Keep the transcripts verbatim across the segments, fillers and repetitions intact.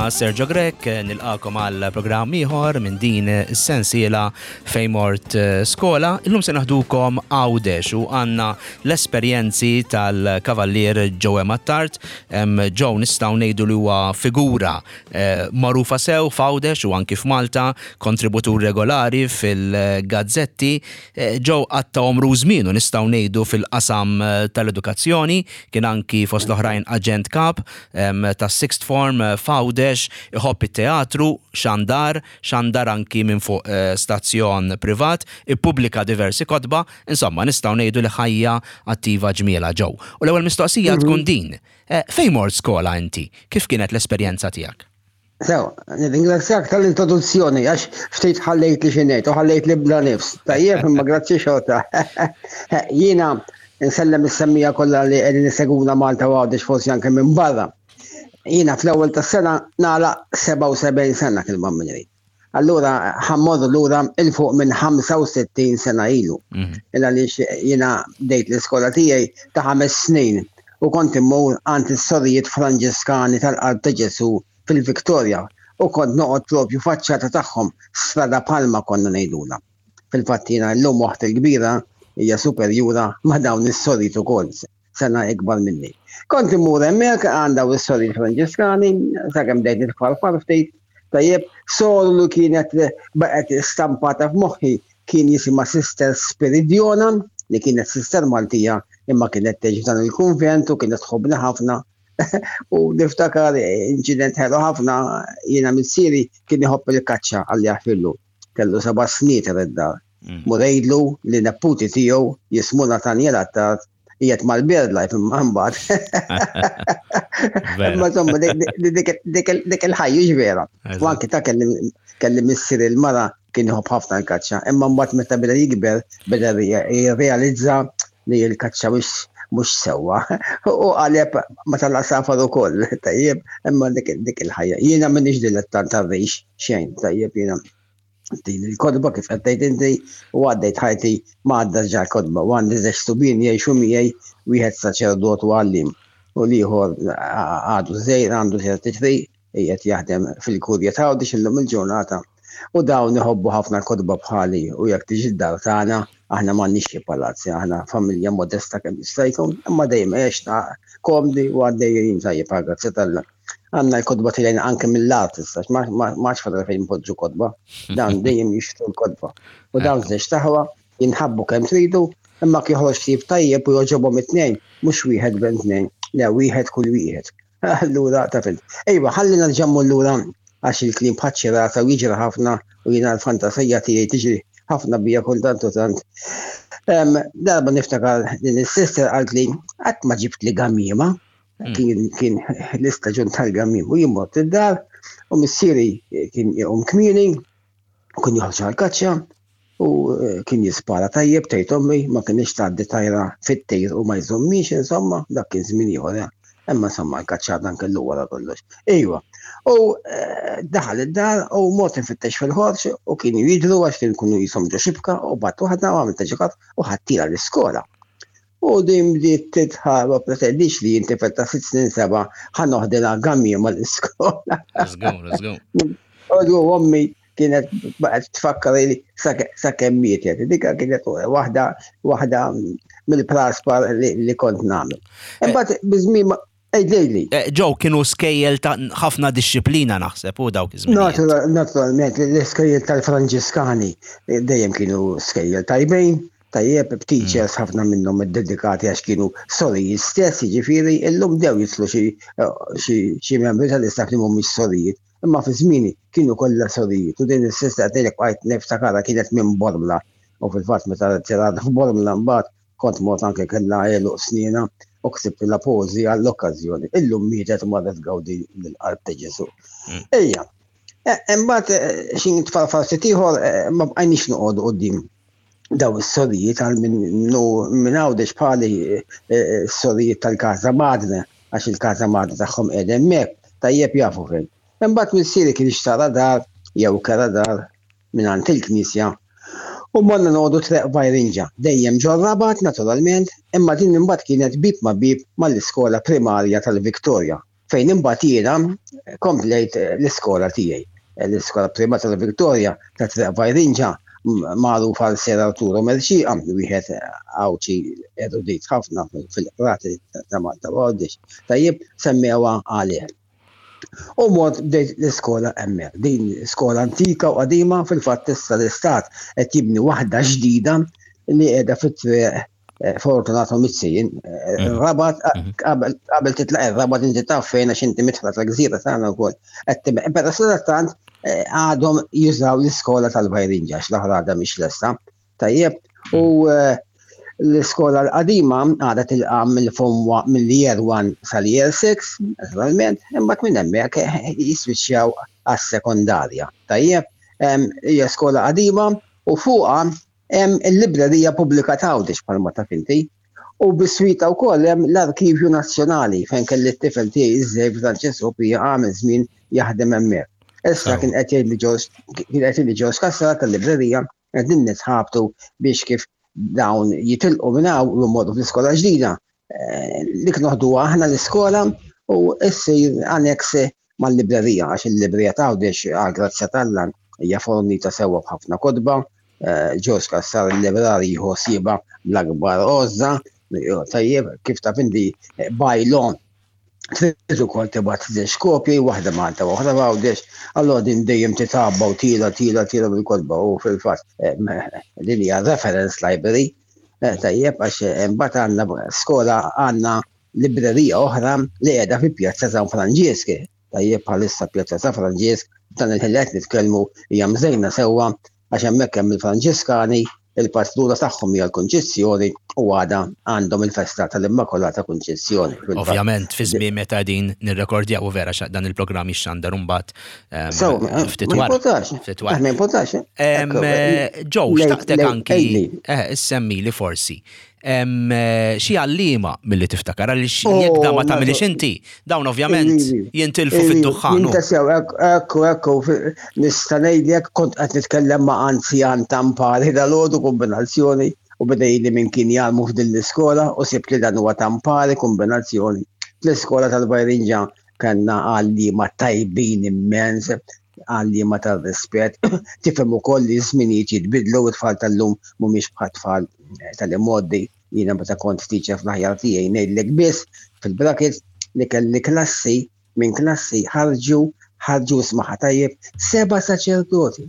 Jiena Sergio Grech, nilqagħkom għal programm ieħor minn din is-sensiela Fejn Mort eh, Skola. Illum se naħdukom Għawdex u għandna l-esperjenzi tal-kavallier Joe Attard. Joe nistgħu ngħidu li huwa figura eh, magħrufa sew f'Għawdex u anki f'Malta, kontributur regolari fil-gazzetti. Eh, Joe qatta' għomru żmienu nistgħu ngħidu fil-qasam tal-edukazzjoni, kien anki fost l-oħrajn aġent kap tas sixth form eh, f'Għawdex, iħobb it-teatru, xandar, xandar anki minn fuq eh, stazzjon privat, ippubblika diversi kotba, insomma nistgħu ngħidu li ħajja attiva ġmiela Joe. U l-ewwel mistoqsija mhm. tkun din, eh, fejn mort skola inti? Kif kienet l-esperjenza tiegħek? Sew, nirringrazzjak tal-introduzzjoni, għax ftit ħallejt li xinejt u ħallejt li bla nifs. Tajjeb, imma grazzi xorta. Jiena nsellem is-semmiegħa kollha li qegħdin isegwuna Malta u Għawdex, forsi anke minn barra. Jiena fl-ewwel tas-sena nagħlaq sebgħa u sebgħin sena kil minri. Allura ħa mmorru lura 'il fuq minn ħamsa u sittin sena ilu. Mhm. Illa li jiena bdejt l-iskola tiegħi ta' ħames snin u kont immur għand is-sorijiet Franġiskani tal-Qalb ta' Ġesu fil-Viktoria u kont noqgħod propju faċċata tagħhom, Strada Palma konna ngħidula. Fil-fatt jiena llum waħda l-kbira hija superjura ma' dawn is-sorijiet ukoll, sena ikbar minni. Kont immur hemmhekk għand dawn is-sorijiet Franġiskani, sakemm bdejt nitfarfar ftit, tajjeb, soru li kienet baqgħet stampata f'moħħi kien jisimha Sister Spiridiona, li kienet sister Maltija imma kienet tgħix f'dan il-kunvent u kienet tħobbni ħafna. U niftakar inċident ħelu ħafna, jiena missieri kien iħobb il-kaċċa, Alla jaħfirlu. Kellu seba' snin id-dar. Mm. Mur għidlu li neputi tiegħu jismu Nathaniel Attard qiegħed mal-BirdLife imma mbagħad. Imma insomma dik il-ħajja vera. U anki ta' kelli missier il-mara kien iħobb ħafna l-kaċċa, imma mbagħad meta beda jikber beda jirrealizza li l-kaċċa mhux sewwa. U qaleb ma tal-għasafar ukoll, tajjeb, imma dik il-ħajja. Jiena m'iniex dilettant tar-rix xejn, tajjeb, jiena din il-kotba kif qed tgħid inti u għaddejt ħajti ma għadda ġa kotba u għandi żewġ subien jgħixu miegħi, wieħed saċerdot u għallim u l-ieħor għadu żgħir, għandu thirty-three, qiegħed jaħdem fil-kurja ta' Għawdex illum il-ġurnata. U dawn iħobbu ħafna kotba bħali u jekk tiġi d-dar tagħna, aħna m'għandniex xi palazzi, aħna familja modesta kemm jista' jkun, imma dejjem għexna komdi u għaddejjin tajjeb, grazzi t'Alla. Għandna l-kotba tilgħin anke mill-art issa, ma fadal fejn poġġu kotba, dan dejjem jixtru l-kotba. U dawn żewġ t'aħwa jinħabbu kemm tridu, imma joħroġ ktieb tajjeb u jogħġobhom it-tnejn, mhux wieħed bejn tnejn, le, wieħed kull wieħed. Allura ta' fil. Ejwa, ħalli nerġa' lura għax il-kliem bħaċ-ċirasa u jiġri ħafna u jiena l-fantasija tiegħi tiġri ħafna bija kultant u tant. Darba niftakar din is-sister qalt li qatt ma ġibt li gamiema. Mm. Kien kien l-istaġun tal-gamiem u jien mort id-dar u missieri kien jqum kmieni u kien joħroġ għal-kaċċa u eh, kien jispara tajjeb, tgħid ommi, ma kienx tgħaddi tajra fit-tir u ma jżommix, insomma, dak kien żmien ieħor. Eh. Imma insomma l-kaċċa dan kellu wara kollox. Iva. U eh, daħal id-dar u mort nfittex fil-ħorġ u kienu jidru għax kien kunu jisom ġo xibka u bat waħda u għamilt ġikat u ħadtila l-iskola. U din bdiet tidħak, ma pretendix li jinti ta' sitt snin seba' ħa noħdilha gamiema l-iskola. Let's go, let's go. U ommi kienet baqgħet tfakkar li sakemm mietet. Dika kienet waħda waħda mill-praspar li kont nagħmel. Imbagħad biż-żmien Ej, eh, Joe, kienu skejjel ta' ħafna disċiplina naħseb u dawk iż-żmien. Naturalment, l-iskejjel tal-Franġiskani dejjem kienu skejjel tajbin, tajjeb, b'teachers mm. ħafna minnhom iddedikati għax kienu sorijiet stess, jiġifieri illum dew jitlu xi membri tal-istaff li mhumiex sorijiet. Imma fi żmieni kienu kollha sorijiet u din is-sister tgħidlek bqajt niftakarha, kienet minn Bormla u fil-fatt meta tirad f'Bormla mbagħad kont mort anke kellha għeluq snina u ktibtilha poeżija għall-okkażjoni. Illum mietet, marret tgawdi l-qalb ta' Ġesu. Mm. Ejja, e, imbagħad e, xi tfarfar ftit ieħor, e, ma bqajniex noqogħdu quddiem daw is-sorijiet, għal minn Għawdex bħali s-sorijiet tal-Casa Madre, għax il-Casa Madre tagħhom qiegħda hemmhekk, tajjeb, jafu fejn. Imbagħad missieri kien xtara dar jew kera dar minn il-knisja u morna noqogħdu Triq Vajrinġa, dejjem ġor-Rabat naturalment, imma din imbagħad kienet bib ma' bib mal-iskola primarja tal-Viktoria. Fejn imbagħad jiena komplejt l-iskola tiegħi. L-iskola privata ta' Victoria ta' Triq Vajrinġa, magħruf għal Sir Arturo Mercieca, wieħed Għawdxi erudit ħafna fil-qrati ta' Malta u Għawdex. Tajjeb, semmewha għalih. U mort bdejt l-iskola hemmhekk. Din skola antika u qadima. Fil-fatt issa l-istat qed jibni waħda ġdida li qiegħda fit-triq eh, Fortunato Mizzi. eh, Rabat, qabel qabel titlaq ir-Rabat, inti taf fejn għax inti midħla tal-gżira tagħna wkoll. Qed tibqa', però sadattant eh, għadhom jużaw l-iskola tal-Vajrinġa għax l-oħra għadha mhix lesta. Tajjeb, u eh, l-iskola l-qadima għadha tilqa' mill-form mill-year one sal-year six, naturalment, imbagħad minn hemmhekk eh, jiswiċċjaw għas-sekondarja. Tajjeb, em, hija skola qadima u fuqha hemm il-Librerija Pubblika ta' Għawdex, bħalma taf inti. U biswita wkoll hemm l-Arkivju Nazzjonali, fejn kelli t-tifel tiegħi iż-żejf Francesco Pija għamel żmien jaħdem hemmhekk. Issa Sew. kien qed jgħid li George kien qed jgħid li George Cassar tal-librerija qegħdin nitħabtu biex kif dawn jitilqu minn hawn u jmorru fl-iskola ġdida. Eh, Dik noħduha aħna l-iskola u issir annex mal-librerija, għax il-librerija ta' Għawdex, għal grazzja t'Alla, hija fornita sewwa b'ħafna kotba. Eh, George Cassar il-librari jieħu ħsiebha bl-akbar għożża. Tajjeb, kif taf inti, eh, by law trid ukoll tibgħat żewġ kopji, waħda Malta u waħda Għawdex, allura din dejjem titgħabba u tila tila tila bil-kotba u fil-fatt eh, din hija reference library. Eh, Tajjeb, għax eh, imbagħad għandna skola, għandna librerija oħra li qiegħda fi Pjazza San Franġisk. Tajjeb, bħalissa Pjazza San Franġisk dan il-ħin li qed nitkellmu hija mżejna sewwa għax hemmhekk hemm il-Franġiskani, il-patruna tagħhom hija l-Kunċizzjoni u għada għandhom il-festa tal-Immakolata Kunċizzjoni. Fil-fatt. Ovvjament, fi żmien meta qegħdin nirrekordjaw, u vera xa dan il-programm jixxandar imbagħad em, So, eh, ftit ma wara. importax. Ftit wara. Eh, Ma importax. Em, Ekku, eh, Joe, lej- xtaqtek lej- anki ejli. eh, issemmi li forsi em, eh, xi għallima milli tiftakar, għaliex Oh, jekk da ma ma- tagħmilix inti, dawn ovvjament Ivi. jintilfu Ivi, fid-duħħan. Jintasew, ekku, ekku, ekku, fi- nista' ngħidlek kont qed nitkellem ma' anzjan tampari dalgħodu kombinazzjoni u beda li minn kien jgħallmu f'din l-iskola u sibt li dan huwa tampari kombinazzjoni. Fl-iskola tal-Vajrinġa kellna għalliema tajbin immens, għalliema tal-rispett. Tifhem ukoll li żminijiet jitbidlu u t-tfal tal-lum mhumiex bħat tfal tal-immoddi. Jiena meta kont teacher fl-aħjar tiegħi, ngħidlek biss fil-brackets li kelli klassi, minn klassi ħarġu ħarġu smaħa tajjeb, seba' saċerdoti.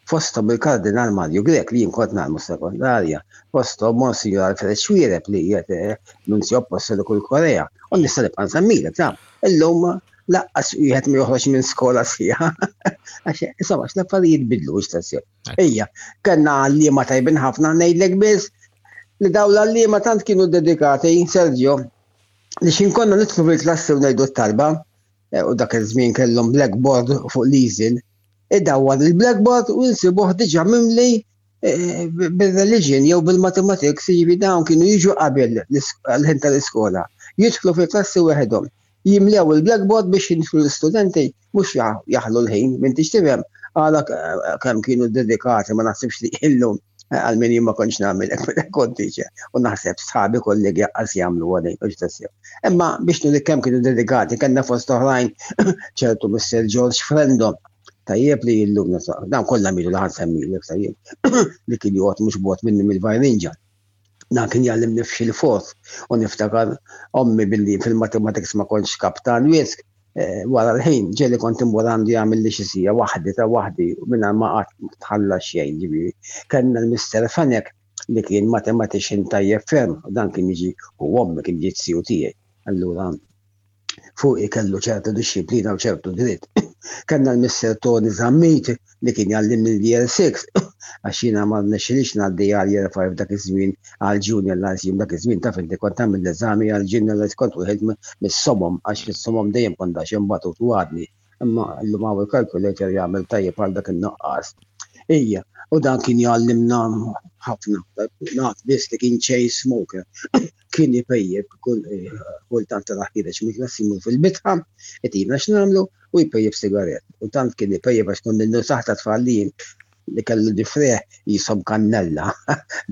Fosthom il-Kardinal Mario Grech li jien kont nagħmlu sekondarja, fosthom Monsignor Alfred Xuereb li qiegħed eh, Nunzio Appostoliku l-Korea. U nista' nibqa' nsemmilek ta'. Illum lanqas wieħed ma joħroġ minn skola sħiħa. Għax insomma, l-affarijiet bidlu x'tassew. Ejja, kellna għalliema tajbin ħafna. Ngħidlek biss li dawn l-għalliema tant kienu dedikati, Sergio, li xin konna nidħlu fil-klassi u ngħidu t-talba, eh, u dak iż-żmien kellhom blackboard fuq l-easel, idawwar il-blackboard u nsibuh diġà mimli eh, bil-religion jew bil-mathematics, jiġifieri dawn kienu jiġu qabel l-ħin tal-iskola. Jidħlu fil-klassi weħedhom, jimlew il-blackboard biex jidħlu l-istudenti, mhux jaħlu l-ħin, m'intix tifhem, għala kemm kienu dedikati, ma naħsibx li illum, għal min jien ma kontx nagħmel hekk meta kont teacher, u naħseb sħabi kollegi qas jagħmlu għadej, u x'tassew. Imma biex nuri kemm kienu dedikati, kellna fost oħrajn ċertu Mister George Frendo, tajjeb, li illum dan kollha milu li ħa nsemmilek, tajjeb, li kien joqgħod mhux bogħod minni mill-Vajrinġa. Dan kien jgħallimni f'xi l-fourth u niftakar ommi billi fil-mathematics ma kontx kaptan wisq, eh, wara l-ħin ġieli kont immur għandu jagħmel li xi siegħa waħdi ta' waħdi mingħajr ma qatt tħallas xejn, ġifieri. Kellna l-Mister Fenek li kien mathematician tajjeb ferm, u dan kien jiġi u ommi kien jiġi t tiegħi. Allura fuq kellu ċertu disċiplina u ċertu dritt. Kellna l-Mister Tony Zammit li kien jgħallimni l-Year six, għax jiena ma rnexxilix ngħaddi għal Year five dak iż-żmien, għal Junior Lyceum dak iż-żmien. Taf inti kont tagħmel l-eżami għal Junior Lyceum, kont wieħed mis-somom, għax fis-somom dejjem kont għax imbagħad u għadni. Imma llum hawn il-calculator jagħmel tajjeb għal dak in-nuqqas. Ija, u dan kien jgħallimna ħafna. Naf biss li kien chain smoker. Kien jpejjep kultant tara ħiereġ mill-klassi jmur fil-bitħa, itina x'nagħmlu u jpejjep sigaret. U tant kien jpejjep, għax kont ninnu saħta tfal li jien li kellu difreħ jisob kannella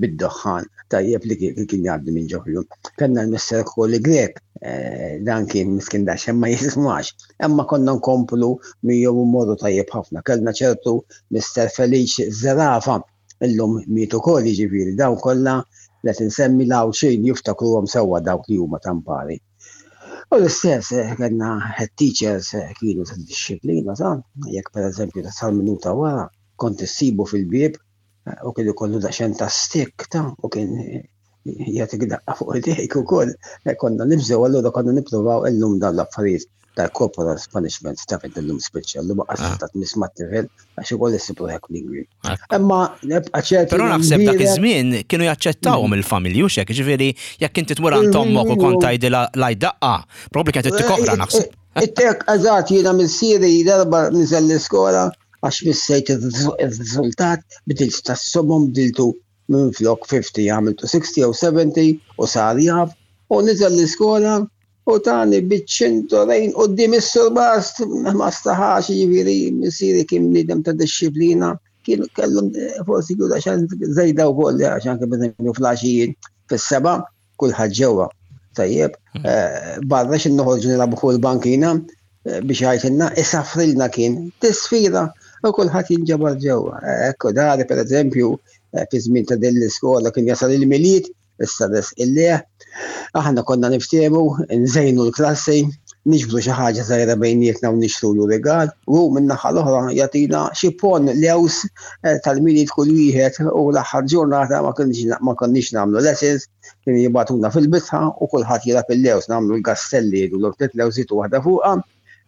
bid-doħħan tajjeb li kien jgħaddi minn ġoħju. Kellna l-Mister Koli Grek, eh, dan kien miskin daxxen ma jismax. Imma konna nkomplu miegħu morru tajjeb ħafna. Kellna ċertu Mister Felice Zerafa, illum mietu ukoll, jiġifieri dawn kollha li tinsemmi l-Għawdxin jiftakruhom sewwa dawk li huma tampari. U l-istess eh, kellna head teachers eh, kienu ta' disċiplina ta' jekk pereżempju ta' sal minuta wara kont issibu fil-bieb eh, u kien ikollu daqsxejn ta' stick ta' u kien jagħtik daqqa fuq idejk ukoll. Konna nibżgħu, allura konna nippruvaw. Illum dawn l-affarijiet tal-corporal punishment ta' fejn illum spiċċa, llum ah. ta' tmiss mat-tifel għax ukoll issib ruħek lingwi. Imma nibqa' ċert. Però naħseb dak iż-żmien kienu jaċċettawhom il-familji u xek, ġifieri jekk inti tmur għand ommok u kont tgħidilha l daqqa, probabbli kienet ittik oħra, naħseb. It-tek, eżatt, jiena missieri darba niżel l-iskola għax missejt ir-riżultat, bidilt tas-somom, bdiltu minn flok ħamsin għamiltu sittin jew sebgħin u sar jaf u niżel l-iskola u tani biċ-ċintorin quddiem is-surbast, ma staħax. Ġifieri missieri kien bniedem ta' disċiplina, kien kellhom forsi kienu għaxan żejda wkoll, għax anke pereżempju fl-għaxijiet fis-seba' kulħadd ġewwa. Tajjeb, eh, barra xin noħorġu nilagħbu fuq il-bankina eh, biex jgħidilna isaffrilna kien tisfira u kulħadd jinġabar ġewwa. Ekku dari pereżempju eh, fi żmien ta' din l-iskola kien jasal il-Milied, issa des il-leħ. Aħna konna niftehmu, nżejnu l-klassi, niġbru xi ħaġa żgħira bejnietna u nixtru rigal, u minn naħa l-oħra jagħtina xi pon lews eh, tal-Milied kull wieħed, u l-aħħar ġurnata ma konniex nagħmlu lessons, kien jibagħtuna fil-bitħa u kulħadd jilgħab il-lews, nagħmlu l-gastelli, jgħidu l tliet lewżiet u waħda fuqha,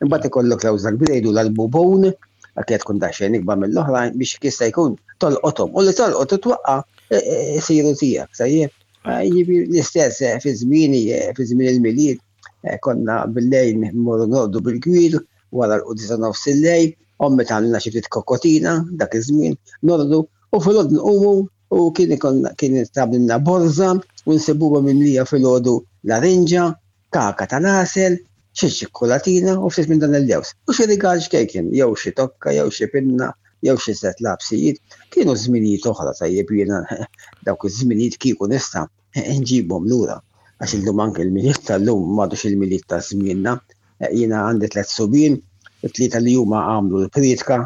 imbagħad ikollok lewża kbira jgħidu l-bubun, għakiet tkun daqsxejn ikbar mill-oħrajn biex jista' jkun tolqothom. U li tolqot twaqqa' isiru tiegħek, tajjeb. Jiġifieri l-istess eh, fi żmieni, eh, fi żmien il-Milied, eh, konna bil-lejl mmorru norqdu bil-gwir, wara l-quddiesa nofs il-lejl, ommi tagħmilna xi ftit kokotina dak iż-żmien, norqdu u filgħodu nqumu u kien ikun kien tagħmilna borża u nsibuha mimlija filgħodu larinġa, kaka tal-għasel, xi ċikkolatina u ftit minn dan il-lews. U xi rigal xkejken, jew xi tokka, jew xi pinna, jew xi set lapsijiet. Kienu żminijiet oħra, tajjeb, jiena dawk iż-żminijiet kieku nista' nġibhom lura. Għax illum anke il-Milied tal-lum m'għadux il-Milied ta' żmienna. Jiena għandi tliet subien, it-tlieta li huma għamlu l-priedka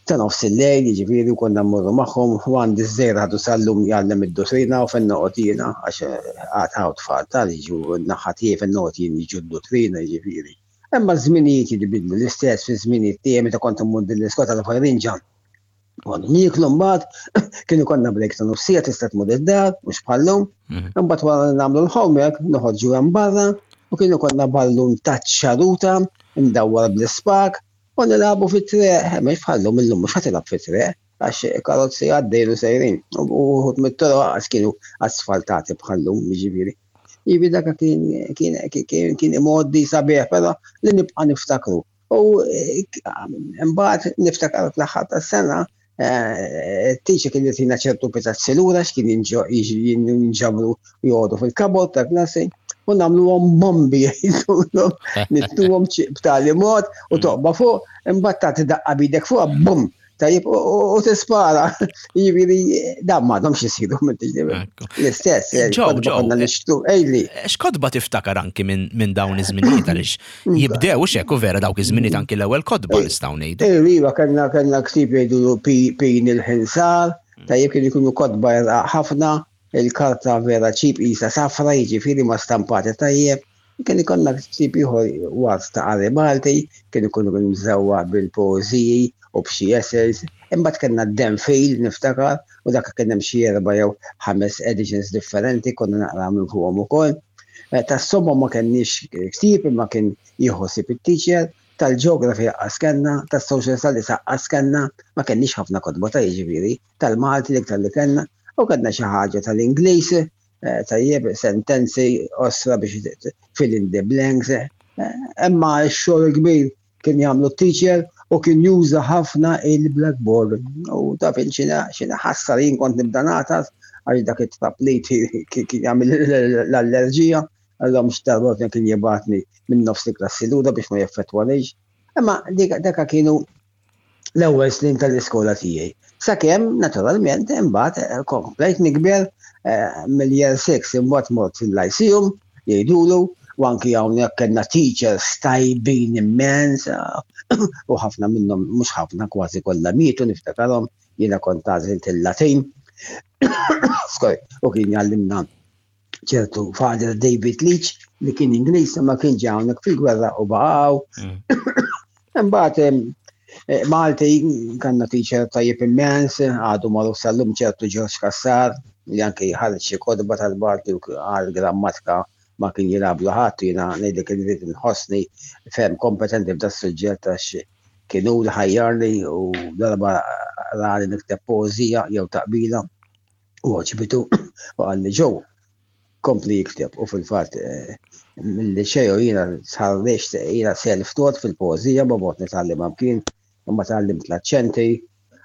ta' nofs il-lejl, jiġifieri konna mmorru magħhom, u għandi ż-żgħir għadu sal-lum jgħallem id-duttrina u fejn noqgħod jiena, għax għad hawn tfal tal jiġu naħa tiegħi fejn noqgħod jien jiġu d-duttrina, jiġifieri. Imma ż-żminijiet jitbidlu. L-istess fi żminijiet tiegħi meta kont immur din l-iskola tal-Fajrinġa. Konna nieklu, mbagħad kienu konna break ta' nofsija, tista' tmur id-dar, mhux bħallum. Mhm. Imbagħad wara li nagħmlu l-homework noħorġu hemm barra u kienu konna ballun ta' ċaruta imdawwar bl-ispak u nilagħbu fit-triq, mhux bħallum, illum mhux ħa tilgħab fit-triq għax karozzi għaddejlu sejrin u uħud mit-toroq għax kienu asfaltati bħallum, jiġifieri. Jiġifieri dak kien kien kien kien imgħoddi sabiħ, però li nibqa' niftakru. U eh, mbagħad niftakar fl-aħħar tas-sena teacher kien jtina ċertu pitazzi lura x'kien jinġabru joqogħdu fil-cupboard ta' klassi u nagħmluhom bombi, jgħidulhom, nittuhom b'tali mod u toqba fuq, imbagħad tagħti daqqa bidek fuq, bum, tajjeb, u tispara. Jiġifieri dan m'għadhomx isiru. L-istess, konna nixtru, ejli. X'kotba tiftakar anki minn dawn iż-żminijiet, għaliex jibdew xek u vera dawk iż-żminijiet anki l-ewwel kotba nistgħu ngħidu? Iva, kellna kellna ktieb jgħidu Pin il-Ħinsar, tajjeb, kienu jkunu kotba ħafna, il-karta vera cheap isa safra, jiġifieri ma stampati tajjeb. Kien ikollna ktieb ieħor waqt ta' qari Malti, kien ikunu mżewwa bil-poeżiji u b'xi essays. Imbagħad kellna d-Denfil, niftakar, u dak kien hemm xi erba' jew ħames editions differenti, konna naqra minn fuqhom ukoll. Eh, tas-somma ma kenniex ktieb, imma kien jieħu ħsieb it-teacher, tal-geography anqas kellna, tas-social studies anqas kellna, ma kenniex ħafna kotba ta' jiġifieri, tal-Malti l-iktar li kellna, u kellna xi ħaġa tal-Ingliż, eh, tajjeb, sentenzi qosra biex fill in the blanks, eh, imma x-xogħol kbir kien jagħmlu teacher u kien juża ħafna il-blackboard. U taf xina xina ħassar, jien kont nibda nagħtas għax dak it-traplit kien jagħmel l-allerġija, għallhom x'darba kien jibgħatni minn nofs il-klassi lura biex ma jeffettwanix. Imma daka kienu L-ewwel snin tal-iskola tiegħi. Sakemm, naturalment, imbagħad eh, komplejt nikber eh, mill-year six imbagħad mort fil-Lyceum, jgħidulu, u anki hawnhekk kellna teachers tajbin immens, u ħafna minnhom, mhux ħafna, kważi kollha mietu niftakarhom, jiena kont għażilt il-Latin. Skoj, u kien jgħallimna ċertu Father David Leach li kien Ingliż ma kien ġie hawnhekk fil-gwerra u baqgħu. Mm. Imbagħad eh, Malti kellna teacher tajjeb immens, għadu magħruf sal-lum ċertu George Kassar, li anke ħareġ xi kotba tal-Malti u għal grammatika ma kien jilgħablu ħadd, jiena ngħidlek irrid nħossni ferm kompetenti f'da suġġett għax kienu li ħajjarni u darba rani nikteb poeżija jew taqbila u għoġbitu u qalli ġew kompli jikteb u fil-fatt eh, mill-Liċeo jiena tħarriġt jiena self-taught fil-poeżija ma bot nitgħallem kien imma tgħallimt l-aċċenti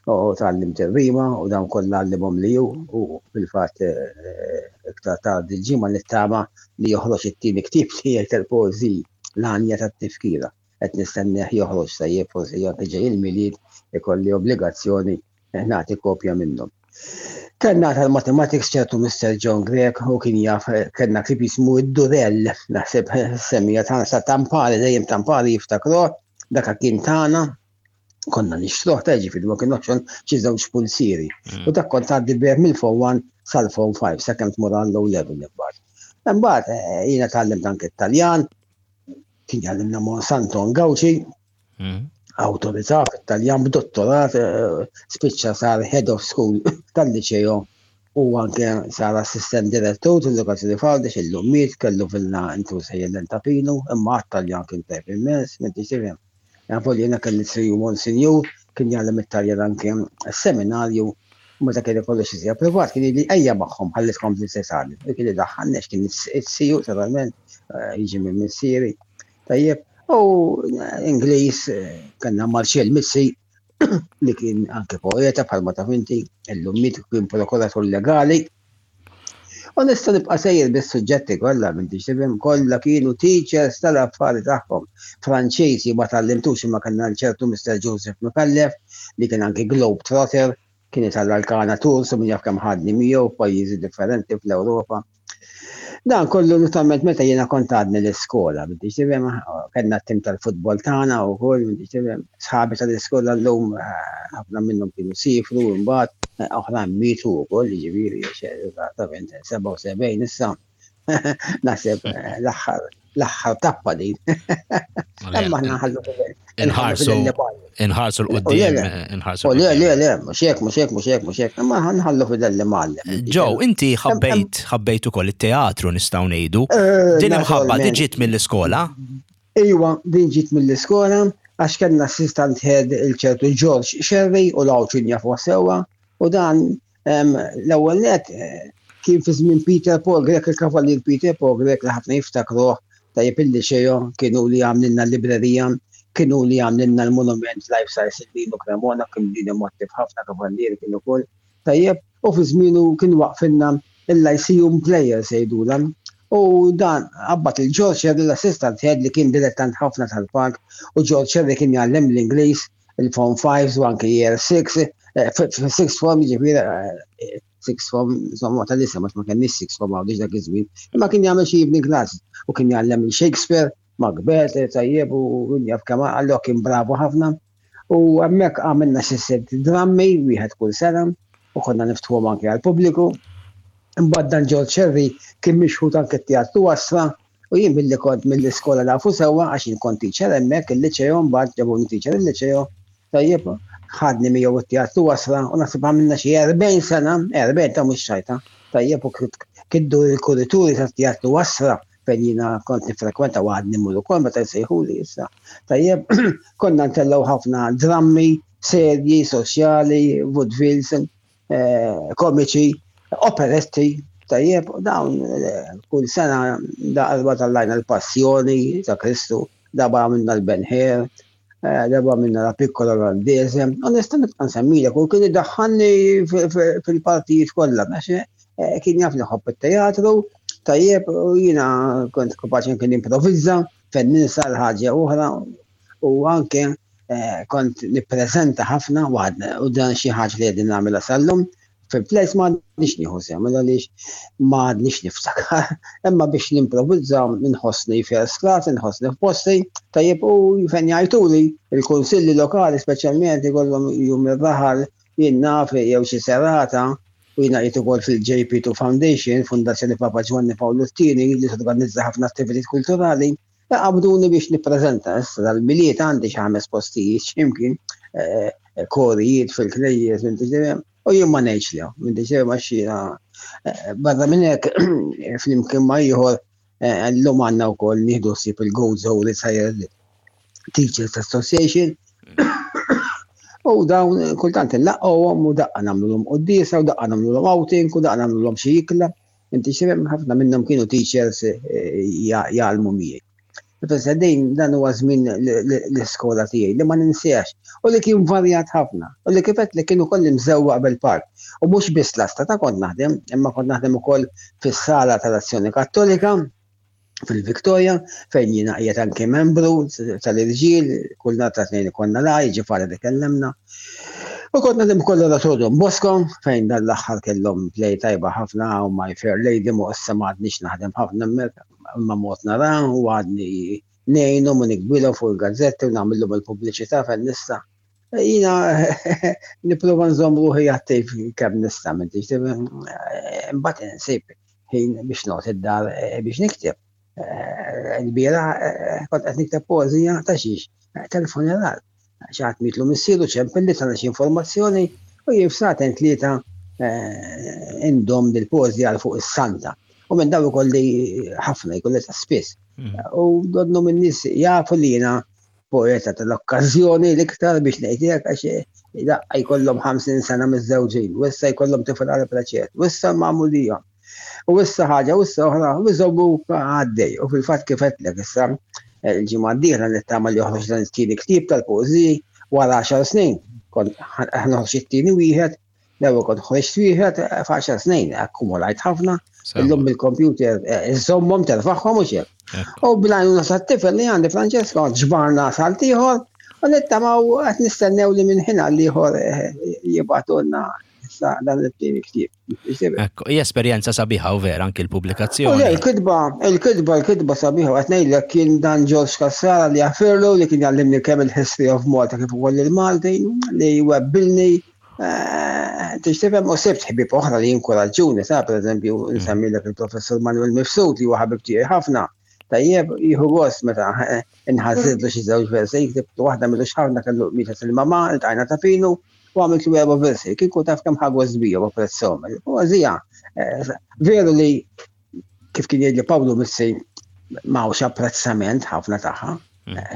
u tgħallimt ir-rima u dawn kollha għallimhom li hu u fil-fatt eh, iktar tard il-ġimgħa nittama li joħroġ it-tieni ktieb tiegħi tal-poeżiji l-għanja tat-tifkira. Qed nistennieh joħroġ tajjeb forsi anke ġej il-Milied ikolli obbligazzjoni nagħti kopja minnhom. Kellna tal-mathematics ċertu Mr. John Grech u kien jaf kellna ktieb jismu id-Durell, naħseb semmija tagħna sa Tampari, dejjem Tampari jiftakruh, dak kien tagħna, konna nixtruh ta' ġifieri ma kien oħxon xi żewġ pulsieri. Mm. U dak kont tgħaddi bih mill-Form one sal-Form five sakemm tmur għall O level imbagħad. Imbagħad eh, jiena tgħallimt anke Taljan, kien jgħallimna Monsanto Gauci, mm. awtorità fit-Taljan b'dottorat, eh, spiċċa sar head of school tal-liċeo u anke sar assistent direttur tal-edukazzjoni f'Għawdex illum miet kellu villa intu sejjer Tapinu, imma għat-Taljan kien tajb immens, m'intix tifhem. Għavol jiena kelli siju Monsignor, kien jgħallem it-Taljan anke seminarju, u meta kien ikollu xi sija privat, kien jgħidli ejja magħhom ħalli tkompli titgħallem. U kien idaħħalni kien is-siju naturalment eh, jiġi minn missieri. Tajjeb, u eh, Ingliż eh, kellna Marcel Mizzi li kien anke poeta bħalma taf inti, illum miet kien prokuratur legali. U nista' nibqa' sejjer bis-suġġetti kollha m'intix tifhem kollha kienu teachers tal-affari tagħhom. Franċiżi ma tgħallimtux imma kellna ċertu Mr. Joseph Micallef li kien anke globe trotter, kien italla' l-Kana Tours u min jaf kemm ħadni miegħu f'pajjiżi differenti fl-Ewropa. Dan kollu naturalment meta jiena kont għadni l-iskola, m'intix tifhem, kellna t-tim tal-futbol tagħna wkoll, m'intix tifhem, sħabi tal-iskola llum eh, ħafna minnhom kienu sifru mbagħad eh, oħrajn mietu wkoll, jiġifieri eżattament sebgħa u sebgħin issa. Naħseb eh, l-aħħar l-aħħar tappa din. Imma aħna nħallu Inħarsu inħarsu l-qoddim, inħarsu. Le, le, le, mhux hekk, mhux hekk, mhux hekk, mhux hekk, imma nħallu fidel li mgħallem. Joe, inti ħabbejt ħabbejt ukoll it-teatru nistgħu ngħidu. Eh, Din imħabba naturalment. ġiet mill-iskola? Iwa, din ġiet mill-iskola, għax kellna assistant head il-ċertu George Sherry u l-Għawdxin jafu sewwa, u dan em, l-ewwel net eh, kien fi żmien Peter Paul Grech, il-kavallier Peter Paul Grech li ħafna jiftakruh tajjeb il-liċeo, kienu li għamlilna l-librerija, kienu li għamlilna l-monument life size il-Lino Cremona, kien din mottiv ħafna kavallieri kienu kol. Tajjeb, u fi żmienu kien waqfinna il-Lyceum Players jgħidulha. U dan qabbat il-George Sherry l-assistant head li kien dilettant ħafna tal-park u George Sherry kien jgħallem l-Ingliż, il-Form five u anke Year six, eh, sixth form jiġifieri, eh, sixth form, insomma, tal-isem, għax ma kenniex sixth form għawdix dak iż-żmien, imma kien jagħmel xi evening classes u kien jgħallem il-Shakespeare, Macbeth, tajjeb, u jaf kemm allura kien bravu ħafna. U hemmhekk għamilna xi sitt drammi wieħed kull sena u konna niftħuhom anke għall-pubbliku. Imbagħad dan George Sherry kien mixħut anke t-teatru Astra u jien billi kont mill-iskola nafu sewwa għax jien kont teacher hemmhekk il-liċeo mbagħad ġabuni teacher il-liċeo. Tajjeb, ħadni miegħu t-teatru Astra u naħseb għamilna xi erbgħin sena, erbgħin ta' mhux xajta. Tajjeb, u kiddu l-kurituri tat-teatru Astra fejn jiena kont nifrekwenta u għadni mmur ukoll meta jsejħuli issa. Tajjeb, konna ntellgħu ħafna drammi, serji, soċjali, vaudevilles, eh, komiċi, operetti, tajjeb, dawn eh, kull sena darba tellajna l-Passjoni ta' Kristu, darba għamilna l-Ben Hur, eh, darba għamilna la Piccola Olandese, u nista' nibqa' nsemmilek, u kien idaħħalni fil-partijiet kollha, għax eh, kien jaf li ħobb it-teatru, tajjeb, u jiena kont kapaċi kien improvizza, fejn ninsa l-ħaġa oħra, u anke eh, kont nippreżenta ħafna u dan xi ħaġa li qegħdin nagħmilha sal-lum. Fil-plays ma għadnix nieħu sehem, għaliex ma għadnix niftakar, imma biex nimprovizza nħossni first class, nħossni f'posti, tajjeb, u fejn jgħajtuli il-kunsilli lokali, speċjalment ikollhom jum ir-raħal, jien naf, jew xi serata, u jiena qiegħed ukoll fil-J P two Foundation, Fondazzjoni Papa Ġwanni Pawlu t-Tieni, li torganizza ħafna attivitajiet kulturali, qabduni biex nippreżenta. Issa dal-Milied għandi xi ħames postijiet x'imkien, eh, korijiet fil-knejjes, u jien ma ngħidx li, minn diġà ma xina. Eh, barra minn hekk, flimkien ma ieħor, eh, llum għandna wkoll nieħdu ħsieb il-Gozo Retired Teachers Association. U dawn kultant nlaqqgħuhom u daqqa nagħmluhom quddiesa u daqqa nagħmluhom outing u daqqa nagħmluhom xi ikla. Inti x'tifhem, ħafna minnhom kienu teachers eh, jgħallmu miegħi. Issa din dan huwa żmien l-iskola tiegħi li ma ninsiex u li kien varjat ħafna u li kif li kienu kolli mżewwaq bil-park. U mhux biss l-asta ta' kont naħdem, imma kont naħdem ukoll fis-sala tal-Azzjoni Kattolika fil-Viktoria, fejn jiena qiegħed anke membru tal-irġiel, kull nhar ta' Tnejn ikollna la, jiġifieri li kellemna. U kont naħdem ukoll l-Oratorju Bosco, fejn dan l-aħħar kellhom play tajba ħafna u My Fair Lady, mu issa ma għadniex naħdem ħafna hemmhekk, imma mod nara u għadni ngħinhom u nikbilhom fuq il-gazzetti u nagħmilhom il-pubbliċità fejn nista'. Jiena nipprova nżomm ruħi attiv kemm nista', m'intix, imbagħad insib ħin biex noqgħod id-dar eh, biex nikteb. Eh, il-bieraħ eh, kont qed nikteb poeżija ta' xiex, tal-funeral. Xi ħadd mietlu missieru, ċempilli, tana xi informazzjoni u jien f'sagħtejn tlieta indom dil-poeżija għal fuq is-santa. U minn daw ikolli ħafna, jkolli ta' spiss. Mm. U donnu minn nies jafu li jiena poeta tal-okkażjoni l-iktar, biex ngħidlek, għax daqqa jkollhom ħamsin sena miż-żewġin, u issa jkollhom tifel għal preċet, u issa magħmudija. U issa ħaġa, u issa oħra, u iżommu għaddej. U fil-fatt, kif għedtlek, issa il-ġimgħa d-dieħla nittama li joħroġ dan it-tieni ktieb tal-poeżiji wara għaxar snin. Kont ħa noħroġ it-tieni wieħed, l-ewwel kont ħriġt wieħed f'għaxar snin, akkumulajt ħafna. Illum bil-computer iżommhom, terfaħħom u xejn. U bl-għajnuna tat-tifel li għandi, Francesco, ġbarna salt ieħor u nittamaw, qed nistennew li minn ħin għal ieħor jibagħtulna issa dan it-tieni ktieb. Ekku, hija esperjenza sabiħa u vera anki l-pubblikazzjoni. Il-kitba, il-kitba, il-kitba sabiħa, qed ngħidlek, kien dan George Cassara li jaffirlu, li kien jgħallimni kemm il-history of Malta kif ukoll il-Malti, li webbilni. Tix tifhem, u sibt ħbieb oħra li jinkoraġġuni, sa per eżempju nsemmilek il-professor Manuel Mifsud, li huwa ħabib tiegħi ħafna. Tajjeb, jieħu gost meta nħażżidlu xi żewġ versi, ktibt waħda m'ilux ħafna, kellu mietet il-mama, iltqajna Ta' Pinu, u għamilt erba' versi, kieku taf kemm ħa gost bija u apprezzahom. U għazija, veru li kif kien jgħidli Pawlu Missi, m'hawnx apprezzament ħafna tagħha.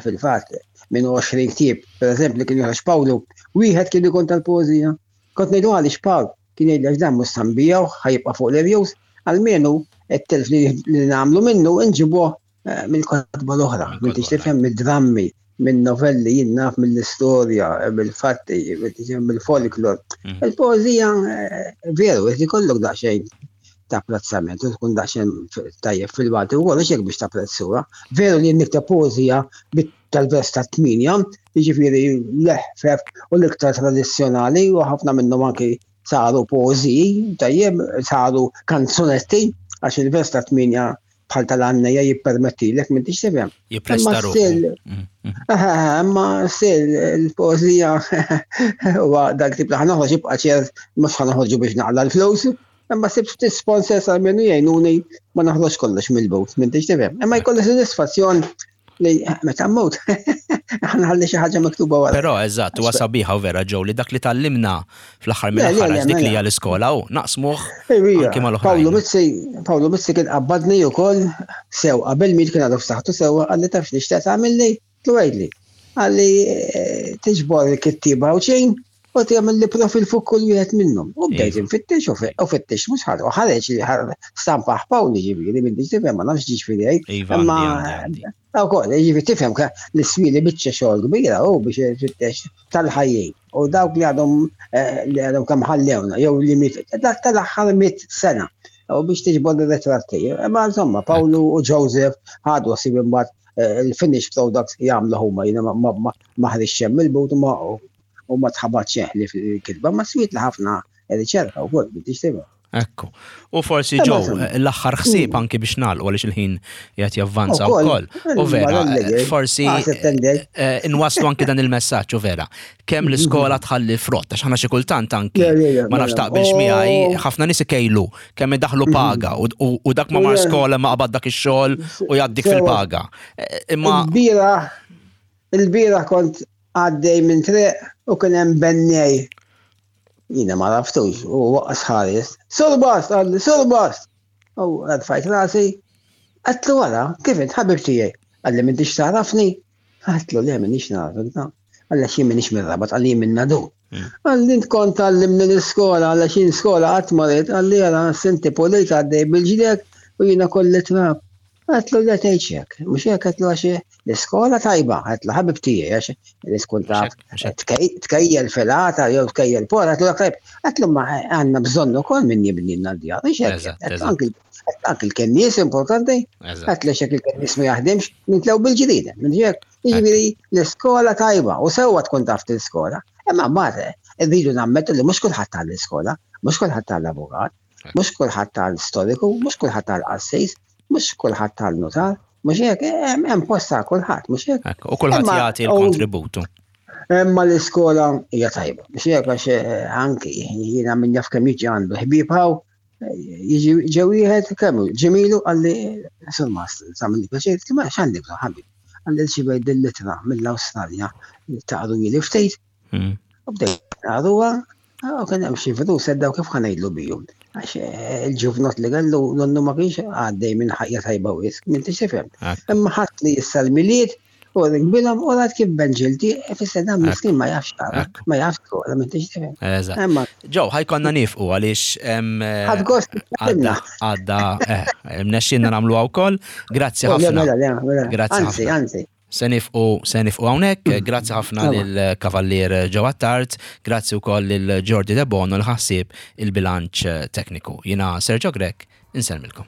Fil-fatt, minn għoxrin ktieb, per eżempju, li kien joħroġ Pawlu, wieħed kien ikun tal-poeżija. Kont ngħidu għaliex, Pawl, kien jgħidli għax dan mhux se nbigħuh, ħa jibqa' fuq l-irjus, almenu it-telf li nagħmlu minnu nġibuh mill-kotba l-oħra, minn tix tifhem, mid-drammi, minn novelli, jien naf, mill-istorja, mill-fatti, mill-folklor. Il-poeżija, veru, qed ikollok daqsxejn ta' apprezzament u tkun daqsxejn tajjeb fil-Malti u kollox hekk biex tapprezzura. Veru li nikteb poeżija tal-vers ta' tminja, jiġifieri l-eħfef u l-iktar tradizzjonali, u ħafna minnhom anki saru poeżiji, tajjeb, saru kanzunetti, għax il-vers ta' tminja bħal tal-għannejja jippermettilek, minn tix tifhem. Jippresta ruħu. Imma still il-poeżija huwa dak tip li ħa noħroġ, jibqa' ċert mhux ħa noħorġu biex naqla l-flus, imma sibt ftit sponsors għalmenu jgħinuni ma naħroġ kollox mill-but, minn tix tifhem. Imma jkolli sodisfazzjon li meta mmut ħa nħalli xi ħaġa miktuba wara. Però eżatt, huwa sabiħa u vera ġew li dak li tgħallimna fl-aħħar mill-aħħar, dik li hija l-iskola, u naqsmuh anke mal-oħrajn. Pawlu Mizzi, Pawlu Mizzi kien qabbadni wkoll sew qabel miet, kien għadu f'saħħtu sewwa, qalli: "Taf x'nixtieq tagħmilli?" Għidli. Qalli tiġbor il-kittieba u xejn u tagħmel li profil fuq kull wieħed minnhom. U bdejt infittex u fittex mhux ħadd u ħareġ li stampa Pawli, ġifieri minn tifhem, ma nafx ġifieri. Iva. Imma ukoll ġifieri tifhem li swieli biċċa xogħol kbira u biex fittex tal-ħajjin. U dawk li għadhom li għadhom kemm ħallewna jew li miet tal-aħħar mitt sena u biex tiġbor ir-ritratti. Ma insomma, Pawlu u Joseph ħadu ħsieb imbagħad. il-finished product jagħmlu huma, jiena ma ħriġx hemm il-but u ma tħabatx li fil-kitba, ma swiet li ħafna riċerka wkoll biex tifhem. Ekku. U forsi Joe, l-aħħar ħsieb anki biex nagħlqu għaliex il-ħin qiegħed javvanza wkoll. U vera, forsi inwaslu anki dan il-messaġġ u vera. Kemm l-iskola tħalli frott, għax ħana xi kultant anki ma nafx taqbilx miegħi, ħafna nies ikejlu kemm idaħlu paga u dak ma mar skola ma qabad dak ix-xogħol u jgħaddik fil-paga. Imma il-bieraħ il-bieraħ kont għaddej minn triq u kien hemm bennej. Jiena ma raftux, u waqqas ħares. Surbast, għalli, surbast! U għadfajt rasi, għatlu wara, kif int ħabib tiegħi? Għalli m'intix tagħrafni? Għatlu le m'intix nagħrafek, ta. Għalli xi m'inix mir-Rabat, għalli minn Nadur. Għalli int kont għallimni l-iskola, għalli xi skola qatt ma rrid, għalli għala sinti pulit għaddej bil-ġdek u jiena kolli trab. Għatlu le tgħidx hekk, mhux hekk għatlu għax l-iskola tajba, għatlu ħabib tiegħi għax l-iskol ta' tkejjel filata jew tkejjel por, għatlu tajb, għatlu ma għandna bżonn ukoll min jibnilna d-djar, mhux hekk. Anki l-kennies importanti, għatlu xek il-kennies ma jaħdimx, nintlew bil-ġdida, minn hekk. Jiġifieri l-iskola tajba u sewwa tkun taf l-iskola, imma mbagħad irridu nammettu li mhux kulħadd tal-iskola, mhux kulħadd tal-avukat, mhux kulħadd tal-storiku, mhux kulħadd tal-qassis, mhux kulħadd tal-notar, mhux hekk, hemm post ta' kulħadd, mhux hekk. U kulħadd jagħti l-kontributu. Imma l-iskola hija tajba, mhux hekk għax anki jiena min jaf kemm jiġi għandu ħbieb hawn, jiġi ġew wieħed kemm ġemilu qalli Sur Master, tagħmel pjaċir, ma x'għandek bżonn ħabib. Qalli xi bejt din l-ittra mill-Awstralja taqru li ftit. U bdejt naqruha, u kien hemm xi flus seddaw kif ħa ngħidlu bihom. Għax il-ġuvnot li kellu nonnu ma kienx għaddej minn ħajja tajba wisq, minn tixifhem. Imma ħadd li issa l-Milied u ringbilhom u rat kif benġilti, fisser dan miskin ma jafx tara, ma jafx skola, minn tixifhem. Eżatt. Ġew, ħajkonna nifqu għaliex ħadd gost għadda għadda mnexxinna nagħmluha wkoll. Grazzi ħafna. Grazzi ħafna. Anzi, Se nifqu se nifqu hawnhekk, grazzi ħafna lill-Kavallier Joe Attard, grazzi wkoll lil Jordi De Bono li ħassib il-bilanċ tekniku. Jiena Sergio Grech, insellmilkom.